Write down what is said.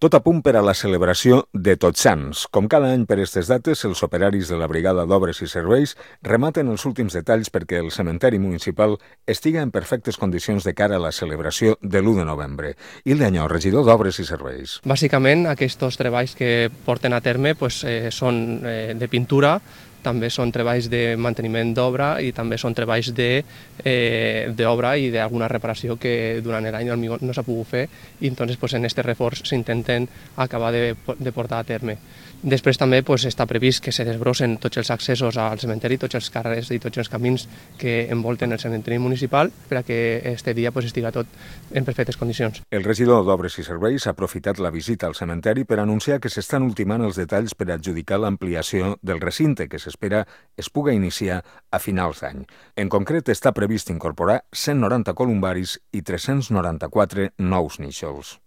Tot a punt per a la celebració de Tots Sants. Com cada any per aquestes dates, els operaris de la Brigada d'Obres i Serveis rematen els últims detalls perquè el cementeri municipal estiga en perfectes condicions de cara a la celebració de l'1 de novembre. Hilda Añó, regidor d'Obres i Serveis. Bàsicament, aquests treballs que porten a terme són de pintura, també són treballs de manteniment d'obra i també són treballs d'obra i d'alguna reparació que durant l'any no s'ha pogut fer i entonces en aquest reforç s'intenten acabar de portar a terme. Després també està previst que se desbrossen tots els accessos al cementeri, tots els carrers i tots els camins que envolten el cementeri municipal per a que aquest dia estiga tot en perfectes condicions. El regidor d'Obres i Serveis ha aprofitat la visita al cementeri per anunciar que s'estan ultimant els detalls per adjudicar l'ampliació del recinte que s'espera es puga iniciar a finals d'any. En concret, està previst incorporar 190 columbaris i 394 nous nínxols.